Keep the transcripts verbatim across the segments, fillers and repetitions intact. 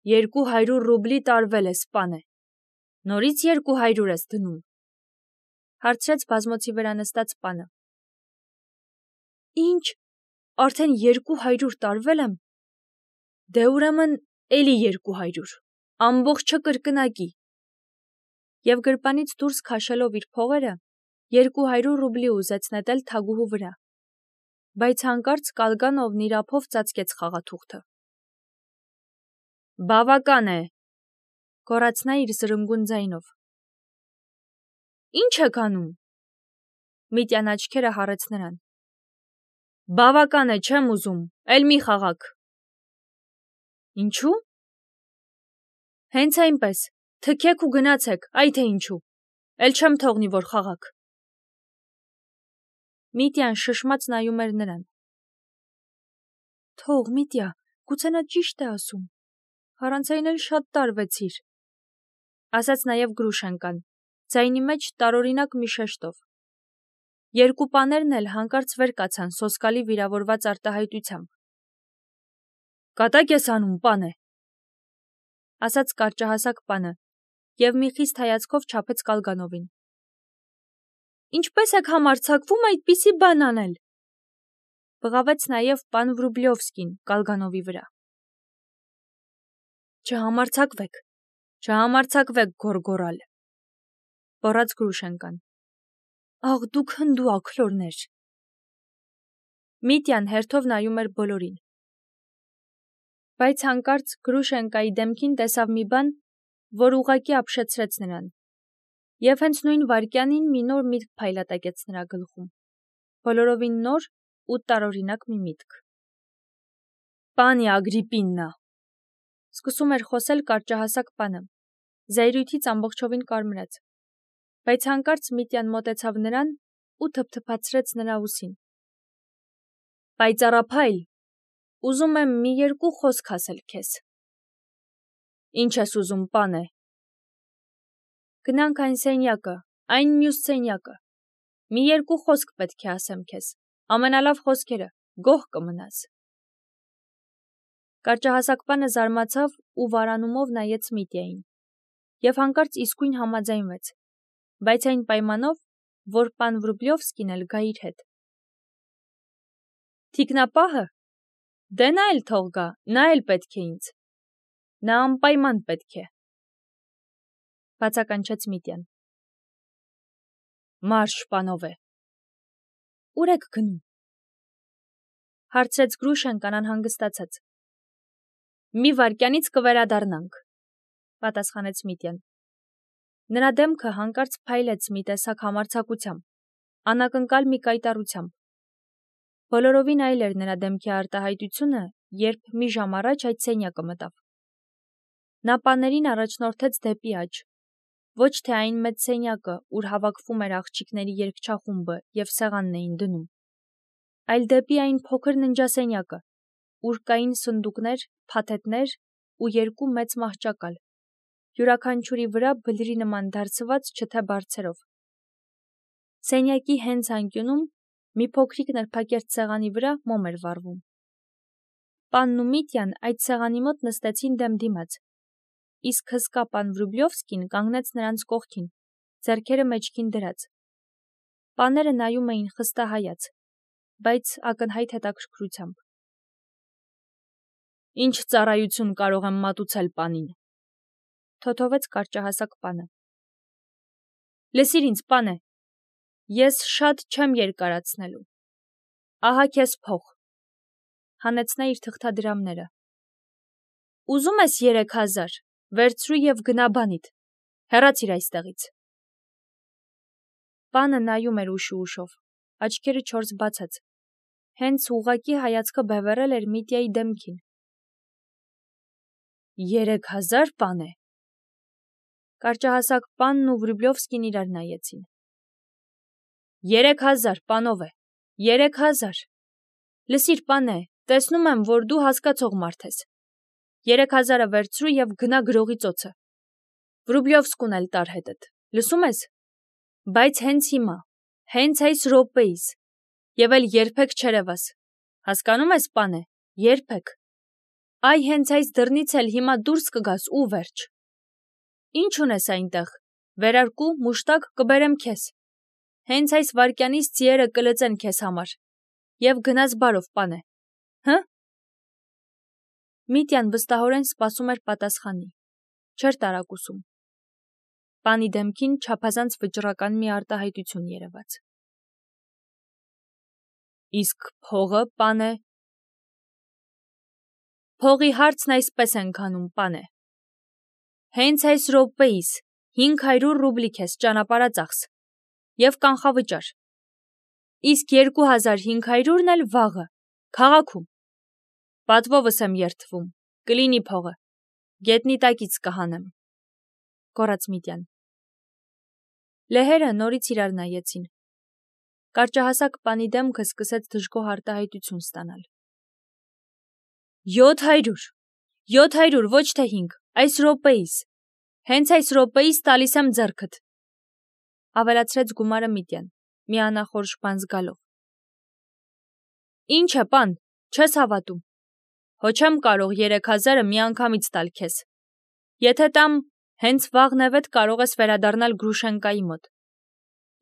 երկու հարյուր ռուբլի տարվել ես, պանը։ Նորից երկու հարյուր ես դնում։ Հարցրեց բազմոցի վրա նստած պանը։ Ինչ, արդեն երկու հարյուր տարվել եմ։ Դե ուրեմն էլի երկու հարյուր, ամբողջը կրկնակի։ Եվ գրպանից դուրս քաշելով իր փողերը, երկու հարյուր ռուբլի ուզեց նետել թագուհու վրա, բայց հանկարծ Կալգանովն իր ափով ծածկեց խաղաթուղթը։ Բավական է, գոռաց նա իր զրնգուն ձայնով։ Ինչ եք անում։ Միտյան աչքերը հառեց նրան։ Բավական է, չեմ ուզում, էլ մի խաղաք։ Ինչու։ Հենց այնպես, թքեք ու գնացեք, այ թե ինչու, էլ չեմ թողնի, որ խաղաք։ Միտյան շշմած նայում էր նրան։ Թող, Միտյա, գուցե նա ճիշտ է ասում, առանց այն էլ շատ տարվեցիր, ասաց նաև Գրուշենկան, ձայնի մեջ տարօրինակ մի շեշտով։ Երկու պաներն էլ հանկարծ վեր կացան սոսկալի վիրավորված արտահայտությամբ։ Կատակ ես անում, պանը, ասաց կարճահասակ պանը, և մի խիստ հայացքով չափեց Կալգանովին։ Ինչպես եք համարձակվում այդպիսի բան անել։ Բղավեց նաև պան Վրուբլյովսկին Կալգանովի վրա։ Չհամարձակվեք, չհամարձակվեք գոռգոռալ, բառաց Գրուշենկան։ Աղ, դուք հնդու աքլորներ։ Միտյան հերթով նայում էր բոլորին։ Բայց հանկարծ Գրուշենկայի դեմքին տեսավ մի բան, որ ուղղակի ապշեցրեց նրան, և հենց նույն վայրկյանին մի նոր միտք փայլատակեց նրա գլխում, բոլորովին նոր ու տարօրինակ մի միտք։ Պանի Ագրիպիննա, սկսում էր խոսել կարճահասակ պանը, զայրույթից ամբողջովին կարմրած, բայց հանկարծ Միտյան մոտեցավ նրան ու թփթփացրեց նրա ուսին։ Պայծառափայլ, ուզում եմ մի երկու խոսք ասել քեզ։ Ինչ ես ուզում, պանը։ Գնանք այն սենյակը, այն մյուս սենյակը։ Մի երկու խոսք պետք է ասեմ քեզ, ամենալավ խոսքերը, գոհ կմնաս։ Կարճահասակ պանը զարմացավ ու վարանումով նայեց Միտյային, և հանկարծ իսկույն համաձայնվեց, բայց այն պայմանով, որ պան Վրուբլյովսկին էլ գա իր հետ։ Թիկնապահը։ Դե նա էլ թող գա, նա էլ պետք է ինձ։ Նա անպայման պետք է։ Բացականչեց Միտյան։ Մարշ, պանովե։ Ուր եք գնում։ Հարցրեց Գրուշենկան անհանգստացած։ Մի վայրկյանից կվերադառնանք, պատասխանեց Միտյան։ Նրա դեմքը հանկարծ փայլեց մի տեսակ համարձակությամբ, անակնկալ մի կայտառությամբ։ Բոլորովին այլ էր նրա դեմքի արտահայտությունը, երբ մի ժամ առաջ այդ սենյակը մտավ։ Նա պաներին առաջնորդեց դեպի աջ, ոչ թե այն մեծ սենյակը, ուր հավաքվում էր աղջիկների երգչախումբը և սեղանն էին դնում, այլ դեպի այն փոքր ննջասենյակը, ուր կային սնդուկներ, փաթեթներ ու երկու մեծ մահճակալ, յուրաքանչյուրի վրա բլրի նման դարձված չթե բարձերով։ Սենյակի հենց անկյունում մի փոքրիկ նրբակերտ սեղանի վրա մոմ էր վառվում։ Պանն ու Միտյան այդ սեղանի մոտ նստեցին դեմ դիմաց, իսկ հսկա պան Վրուբլյովսկին կանգնեց նրանց կողքին, ձեռքերը մեջքին դրած։ Պաները նայում էին խստահայաց, բայց ակնհայտ հետաքրքրությամբ։ Ինչ ծառայություն կարող եմ մատուցել պանին, թոթովեց կարճահասակ պանը։ Լսիր ինձ, պանը, ես շատ չեմ երկարացնելու։ Ահա քեզ փող, հանեց նա իր թղթադրամները։ Ուզում ես երեք հազար, վերցրու և գնա բանիդ, հեռացիր այստեղից։ Պանը նայում էր ուշ ու ուշով, աչքերը չորս բացած, հենց ուղղակի հայացքը բևեռել էր Միտյայի դեմքին։ Երեք հազար, պանը։ Կարճահասակ պանն ու Վրուբլյովսկին իրար նայեցին։ Երեք հազար, պանովե, երեք հազար։ Լսիր, պանը, տեսնում եմ, որ դու հասկացող մարդ ես։ Երեք հազարը վերցրու և գնա գրողի ծոցը։ Վրուբլյովսկուն էլ տար հետդ, լսում ես։ Բայց հենց հիմա, հենց այս րոպեիս, և էլ երբեք չերևաս։ Հասկանում ես, պանը, երբեք։ Այ հենց այս դռնից էլ հիմա դուրս կգաս ու վերջ։ Ինչ ունես այնտեղ, վերարկու, մուշտակ կբերեմ քեզ։ Հենց այս վարկյանից ձիերը կլծեն քեզ համար։ Եվ գնաս բարով, պանե։ Հը՞։ Միտյան վստահորեն սպասում էր պատասխանի։ Չէր տարակուսում։ Պանի դեմքին չափազանց վճռական մի արտահայտություն երևաց։ Իսկ փողը, պանե։ Փողի հարցն այսպես ենք անում, պանե։ Հենց այս րոպեիս հինգ հարյուր ռուբլի քեզ ճանապարհածախս եւ կանխավճար։ Իսկ երկու հազար հինգ հարյուրն էլ վաղը, քաղաքում։ Պատվովս եմ երդվում, կլինի փողը, գետնի տակից կհանեմ, կորած Միտյան։ Լեհերը նորից իրար նայեցին։ Կարճահասակ պանի դեմքը սկսեց դժգոհ արտահայտություն ստանալ։ Յոթ հարյուր, յոթ հարյուր, ոչ թե հինգ, այս րոպեիս, հենց այս րոպեիս տալիս եմ ձեռքդ, ավելացրեց գումարը Միտյան, մի անախորժ բան զգալով։ Ինչ է, պան, չես հավատում։ Հո չեմ կարող երեք հազարը մի անգամից տալ քեզ։ Եթե տամ, հենց վաղ նևեթ կարող ես վերադառնալ Գրուշենկայի մոտ։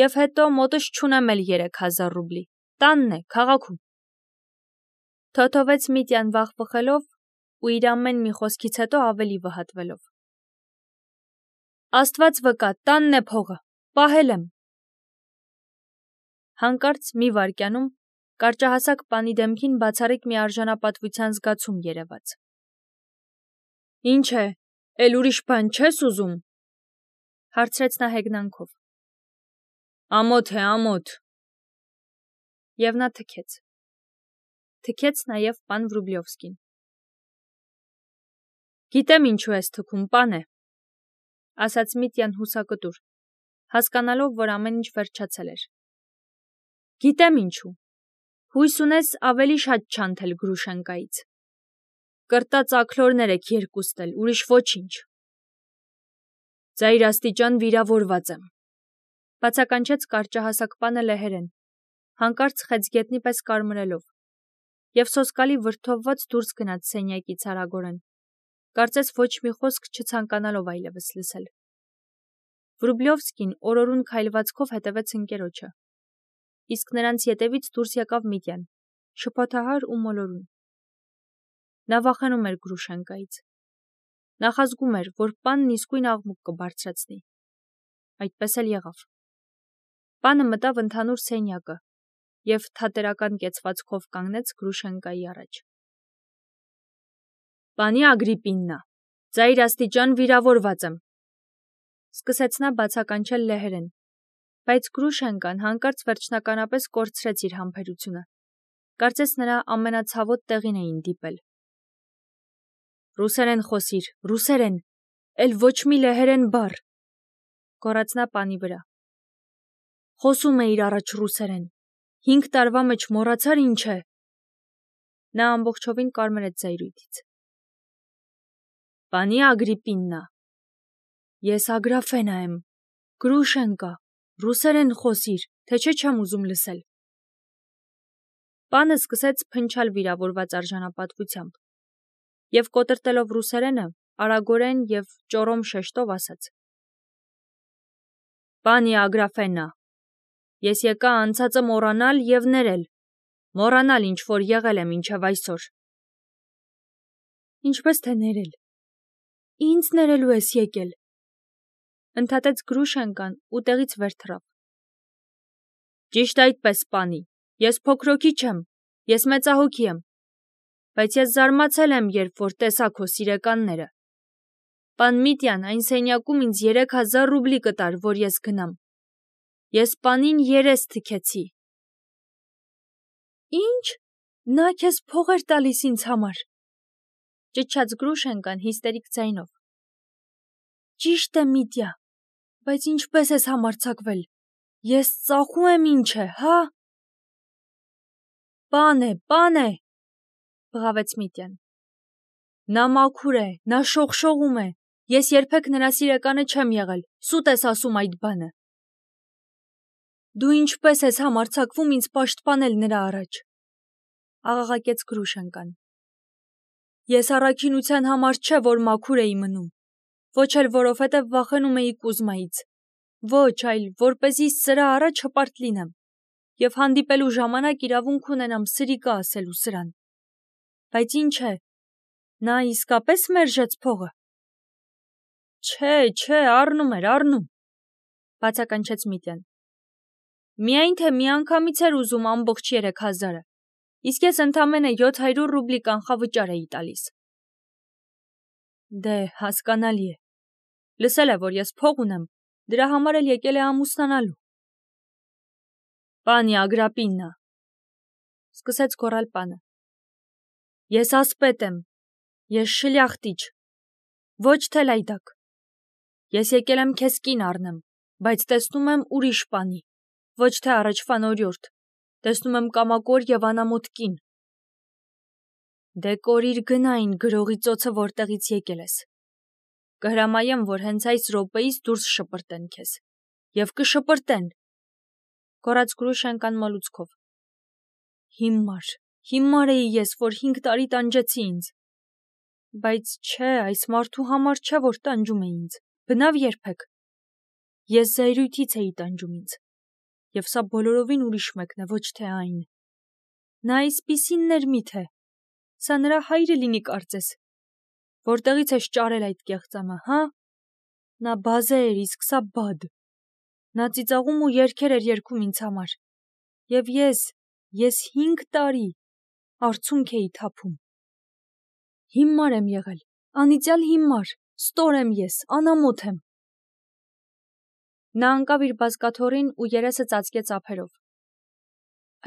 Եվ հետո մոտս չունեմ էլ երեք հազար ռուբլի, տանն է, քաղաքում։ Թոթովեց Միտյան վախ բխելով ու իր ամեն մի խոսքից հետո ավելի վհատվելով։ Աստված վկա, տանն է փողը, պահել եմ։ Հանկարծ մի վայրկյանում կարճահասակ պանի դեմքին բացառիկ մի արժանապատվության զգացում երևաց։ Ինչ է, էլ ուրիշ բան չես ուզում, հարցրեց նա հեգնանքով։ Ամոթ է, ամոթ։ Եվ նա թքեց։ Թքեց նաև պան Վրուբլովսկին։ Գիտեմ ինչու ես թքում, պան է, ասաց Միտյան հուսակտուր, հասկանալով, որ ամեն ինչ վերջացել էր։ Գիտեմ ինչու։ Հույս ունես ավելի շատ չանթել Գրուշենկայից։ Կրտած աքլորներ եք երկուստ էլ, ուրիշ ոչինչ։ Ծայրաստիճան վիրավորված եմ, բացականչեց կարճահասակ պանը լեհերեն, հանկարծ խեցգետնի պես կարմրելով, և սոսկալի վրդովված դուրս գնաց սենյակից արագորեն, կարծես ոչ մի խոսք չցանկանալով այլևս լսել։ Վրուբլովսկին օրորուն քայլվածքով հետևեց ընկերոջը, իսկ նրանց ետևից դուրս եկավ Միտյան, շփոթահար ու մոլորուն։ Նա վախենում էր Գրուշենկայից։ Նախազգում էր, որ պանն իսկույն աղմուկ կբարձրացնի։ Այդպես էլ եղավ։ Պանը մտավ ընդհանուր սենյակը և թատերական կեցվածքով կանգնեց Գրուշենկայի առաջ։ Պանի Ագրիպիննա, ծայրաստիճան վիրավորված եմ, սկսեց նա բացականչել լեհերեն, բայց Գրուշենկան հանկարծ վերջնականապես կորցրեց իր համբերությունը, կարծես նրա ամենացավոտ տեղին էին դիպել։ Ռուսերեն խոսիր, ռուսերեն, էլ ոչ մի լեհերեն բառ, գոռաց նա պանի վրա։ Խոսում էիր առաջ ռուսերեն, հինգ տարվա մեջ մոռացար ինչ է։ Նա ամբողջովին կարմրեց զայրույթից։ Պանի Ագրիպիննա, ես Ագրաֆենա եմ, Գրուշենկա, ռուսերեն խոսիր, թե չէ չեմ ուզում լսել։ Պանը սկսեց փնչալ վիրավորված արժանապատվությամբ և կոտրտելով ռուսերենը, արագորեն և ճոռոմ շեշտով ասաց. Պանի Ագրաֆենա, ես եկա անցածը մոռանալ և ներել, մոռանալ ինչ որ եղել է մինչև այսօր։ Ինչպես թե ներել։ Ինձ ներելու ես եկել, ընդհատեց Գրուշենկան ու տեղից վեր թռավ։ Ճիշտ այդպես, պանի, ես փոքրոքի չեմ, ես մեծահոգի եմ, բայց ես զարմացել եմ, երբ որ տեսա քո սիրեկանները։ Պան Միտյան այն սենյակում ինձ երեք հազար ռուբլի կտար, որ ես գնամ։ Ես պանին երես թքեցի։ Ինչ, նա քեզ փող էր տալիս ինձ համար, ճչաց Գրուշենկան հիստերիկ ձայնով։ Ճիշտ է, Միտյա, բայց ինչպես ես համարձակվել, ես ծախու եմ ինչ է, հա։ Պան է, պան է, բղավեց Միտյան։ Նա մաքուր է, նա շողշողում է, ես երբեք նրա սիրեկանը չեմ եղել, սուտ ես ասում այդ բանը։ Դու ինչպես ես համարձակվում ինձ պաշտպանել նրա առաջ, աղաղակեց Գրուշենկան։ Ես առաքինության համար չէ, որ մաքուր էի մնում, ոչ էլ որովհետև վախենում էի Կուզմայից, ոչ այլ որպեսզի սրա առաջ հպարտ լինեմ և հանդիպելու ժամանակ իրավունք ունենամ սրիկա ասելու սրան։ Բայց ինչ է, նա իսկապես մերժեց փողը։ Չէ, չէ, առնում էր, առնում, բացականչեց Միտյան։ Միայն թե միանգամից էր ուզում ամբողջ երեք հազարը, իսկ ես ընդամենը յոթ հարյուր ռուբլի կանխավճար էի տալիս։ Դե, հասկանալի է։ Լսել է, որ ես փող ունեմ, դրա համար էլ եկել է ամուսնանալու։ Պանի Ագրապիննա, սկսեց գոռալ պանը։ Ես ասպետ եմ, ես շլյախտիչ, ոչ թե լայդակ։ Ես եկել եմ քեզ կին առնեմ, բայց տեսնում եմ ուրիշ պանի, ոչ թե առաջվան օրիորդ, տեսնում եմ կամակոր և անամոթ կին։ Դե կորիր գնային գրողի ծոցը, որտեղից եկել ես։ Կհրամայեմ, որ հենց այս րոպեից դուրս շպրտեն քեզ, և կշպրտեն, գոռաց Գրուշենկան մոլուցքով։ Հիմար, հիմար էի ես, որ հինգ տարի տանջեցի ինձ։ Բայց չէ, այս մարդու համար չէ, որ տանջում է ինձ, բնավ երբեք։ Ես զայրույթից էի տանջում ինձ, և սա բոլորովին ուրիշ մեկն է, ոչ թե այն։ Նա այսպիսինն էր միթե, սա նրա հայրը լինի կարծես, որտեղից ես ճարել այդ կեղծամը, հա։ Նա բազե էր, իսկ սա բադ։ Նա ծիծաղում ու երգեր էր երգում ինձ համար։ Եվ ես, ես հինգ տարի արցունք էի թափում։ Հիմար եմ եղել, անիծյալ հիմար, ստոր եմ ես, անամոթ եմ։ Նա ընկավ իր բազկաթոռին ու երեսը ծածկեց ափերով։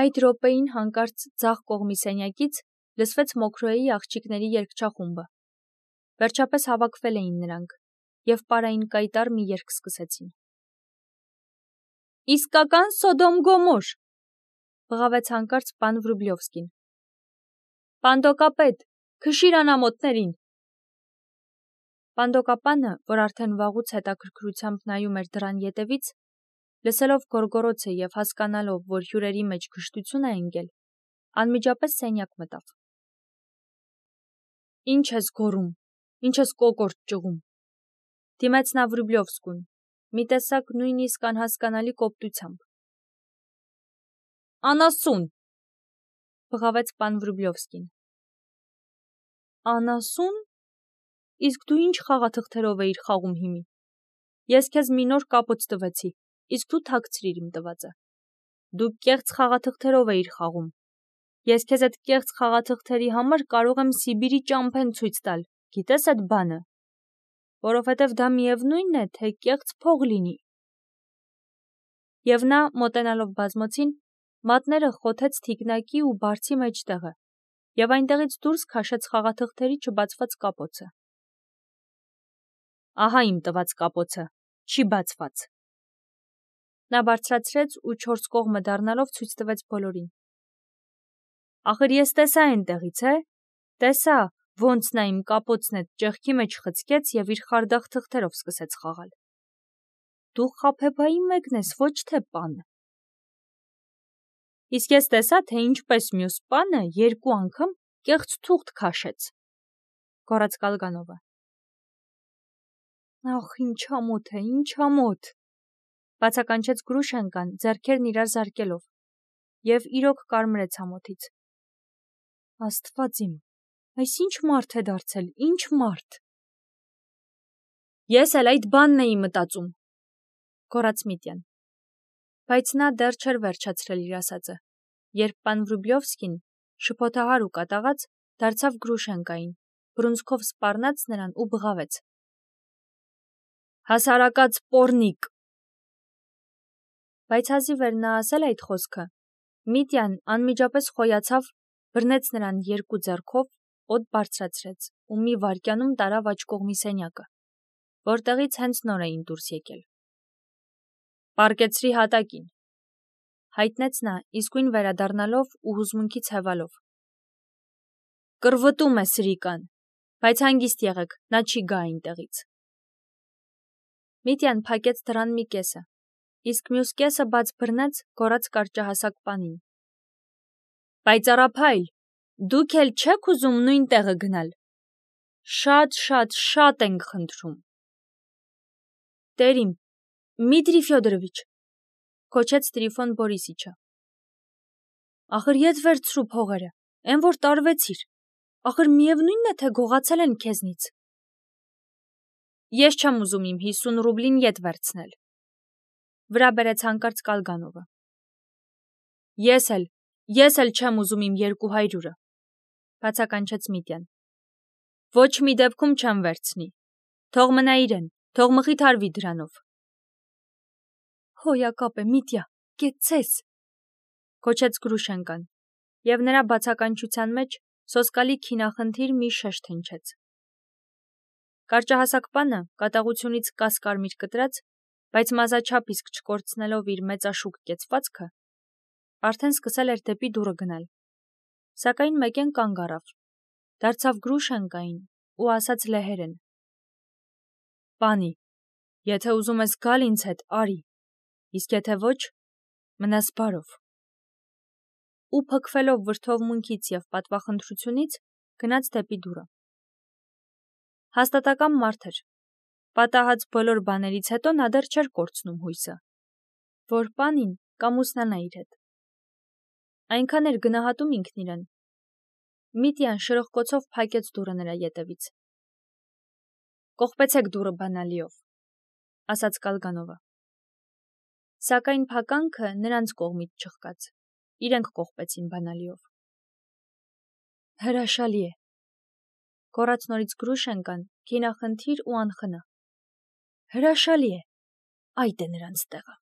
Այդ րոպեին հանկարծ ձախ կողմի սենյակից լսվեց Մոքրոյի աղջիկների երգչախումբը։ Վերջապես հավաքվել էին նրանք և պարային կայտառ մի երգ սկսեցին։ Իսկական Սոդոմ Գոմոր, բղավեց հանկարծ պան Վրուբլյովսկին։ Պանդոկապետ, քշիր անամոթներին։ Պանդոկապանը, որ արդեն վաղուց հետաքրքրությամբ նայում էր դռան ետևից, լսելով գոռգոռոցը և հասկանալով, որ հյուրերի մեջ գժտություն է ընկել, անմիջապես սենյակ մտավ։ Ինչ ես գոռում, ինչ ես կոկորդ ճղում, դիմեց նա Վրուբլյովսկուն, մի տեսակ նույնիսկ անհասկանալի կոպտությամբ։ Անասուն, բղավեց պան Վրուբլյովսկին։ Անասուն։ Իսկ դու ինչ խաղաթղթերով էիր խաղում հիմի։ Ես քեզ մի նոր կապոց տվեցի, իսկ դու թաքցրիր իմ տվածը։ Դու կեղծ խաղաթղթերով էիր խաղում։ Ես քեզ այդ կեղծ խաղաթղթերի համար կարող եմ Սիբիրի ճամփեն ցույց տալ, գիտես այդ բանը, որովհետև դա միևնույնն է, թե կեղծ փող լինի։ Եվ նա, մոտենալով բազմոցին, մատները խոթեց թիկնակի ու բարձի մեջտեղը, և այնտեղից դուրս քաշեց խաղաթղթերի չբացված կապոցը։ Ահա իմ տված կապոցը, չի բացված։ Նա բարձրացրեց ու չորս կողմը դառնալով ցույց տվեց բոլորին։ Ախր ես տեսա այնտեղից, է, տեսա, ոնց նա իմ կապոցն էդ ճեղքի մեջ խցկեց և իր խարդախ թղթերով սկսեց խաղալ։ Դու խաբեբայի մեկն ես, ոչ թե պան։ Իսկ ես տեսա, թե ինչպես մյուս պանը երկու անգամ կեղծ թուղթ քաշեց, գոռաց Կալգանովը։ Ախ, ինչ ամոթ է, ինչ ամոթ, բացականչեց Գրուշենկան, ձեռքերն իրար զարկելով, և իրոք կարմրեց ամոթից։ Աստված իմ, այս ինչ մարդ է դարձել, ինչ մարդ։ Ես էլ այդ բանն էի մտածում, գոռաց Միտյան։ Բայց նա դեռ չէր վերջացրել իր ասածը, երբ պան Վրուբլյովսկին, շփոթահար ու կատաղած, դարձավ Գրուշենկային, բռունցքով սպառնաց նրան ու բղավեց. Հասարակած պոռնիկ։ Բայց հազիվ էր նա ասել այդ խոսքը, Միտյան անմիջապես խոյացավ, բռնեց նրան երկու ձեռքով, օդ բարձրացրեց ու մի վայրկյանում տարավ աջ կողմի սենյակը, որտեղից հենց նոր էին դուրս եկել։ Պառկեցրի հատակին, հայտնեց նա, իսկույն վերադառնալով ու հուզմունքից հևալով։ Կռվտում է սրիկան, բայց հանգիստ եղեք, նա չի գա այնտեղից։ Միտյան փակեց դռան մի կեսը, իսկ մյուս կեսը բաց բռնեց, գոռաց կարճահասակ պանին. Պայծառափայլ, դուք էլ չեք ուզում նույն տեղը գնալ։ Շատ, շատ, շատ ենք խնդրում։ Տերիմ, Դմիտրի Ֆյոդորովիչ, քոչեց Տրիֆոն Բորիսիչը։ Ախր ետ վերցրու փողերը, այն որ տարվեցիր։ Ախր միևնույնն է, թե գողացել են քեզնից։ Ես չեմ ուզում իմ հիսուն ռուբլին ետ վերցնել։ Վրա բերեց հանկարծ Կալգանովը։ Ես էլ, ես էլ չեմ ուզում իմ երկու հայրուրը, բացականչեց Միտյան։ Ոչ մի դեպքում չեմ վերցնի։ Թող մնա իրեն, թող մխիթարվի դրանով։ Հոյակապ է, Միտյա, կեցցես, քոչեց Գրուշենկան, եւ նրա բացականչության մեջ սոսկալի քինախնդիր մի շեշտ հնչեց։ Կարճահասակ պանը կատաղությունից կասկարմիր կտրած, բայց մազաչափ իսկ չկորցնելով իր մեծաշուկ կեցվածքը, արդեն սկսել էր դեպի դուռը գնալ։ Սակայն մեկեն կանգ առավ, դարձավ Գրուշենկային ու ասաց լեհերեն. Պանի, եթե ուզում ես գալ ինձ հետ, արի, իսկ եթե ոչ, մնաս բարով։ Ու փքվելով վրդովմունքից եւ պատվախնդրությունից գնաց դեպի դուռը։ Հաստատակամ մարդ էր։ Պատահած բոլոր բաներից հետո նա դեռ չէր կորցնում հույսը, որ պանին կամուսնանա իր հետ։ Այնքան էր գնահատում ինքն իրեն։ Միտյան շրխկոցով փակեց դուռը նրա ետևից։ Կողպեցեք դուռը բանալիով, ասաց Կալգանովը։ Սակայն փականքը նրանց կողմից չխկաց։ Իրենք կողպեցին բանալիով։ Հրաշալի է, գոռաց նորից Գրուշենկան, քինախնդիր ու անխնա։ Հրաշալի է, այդ է նրանց տեղը։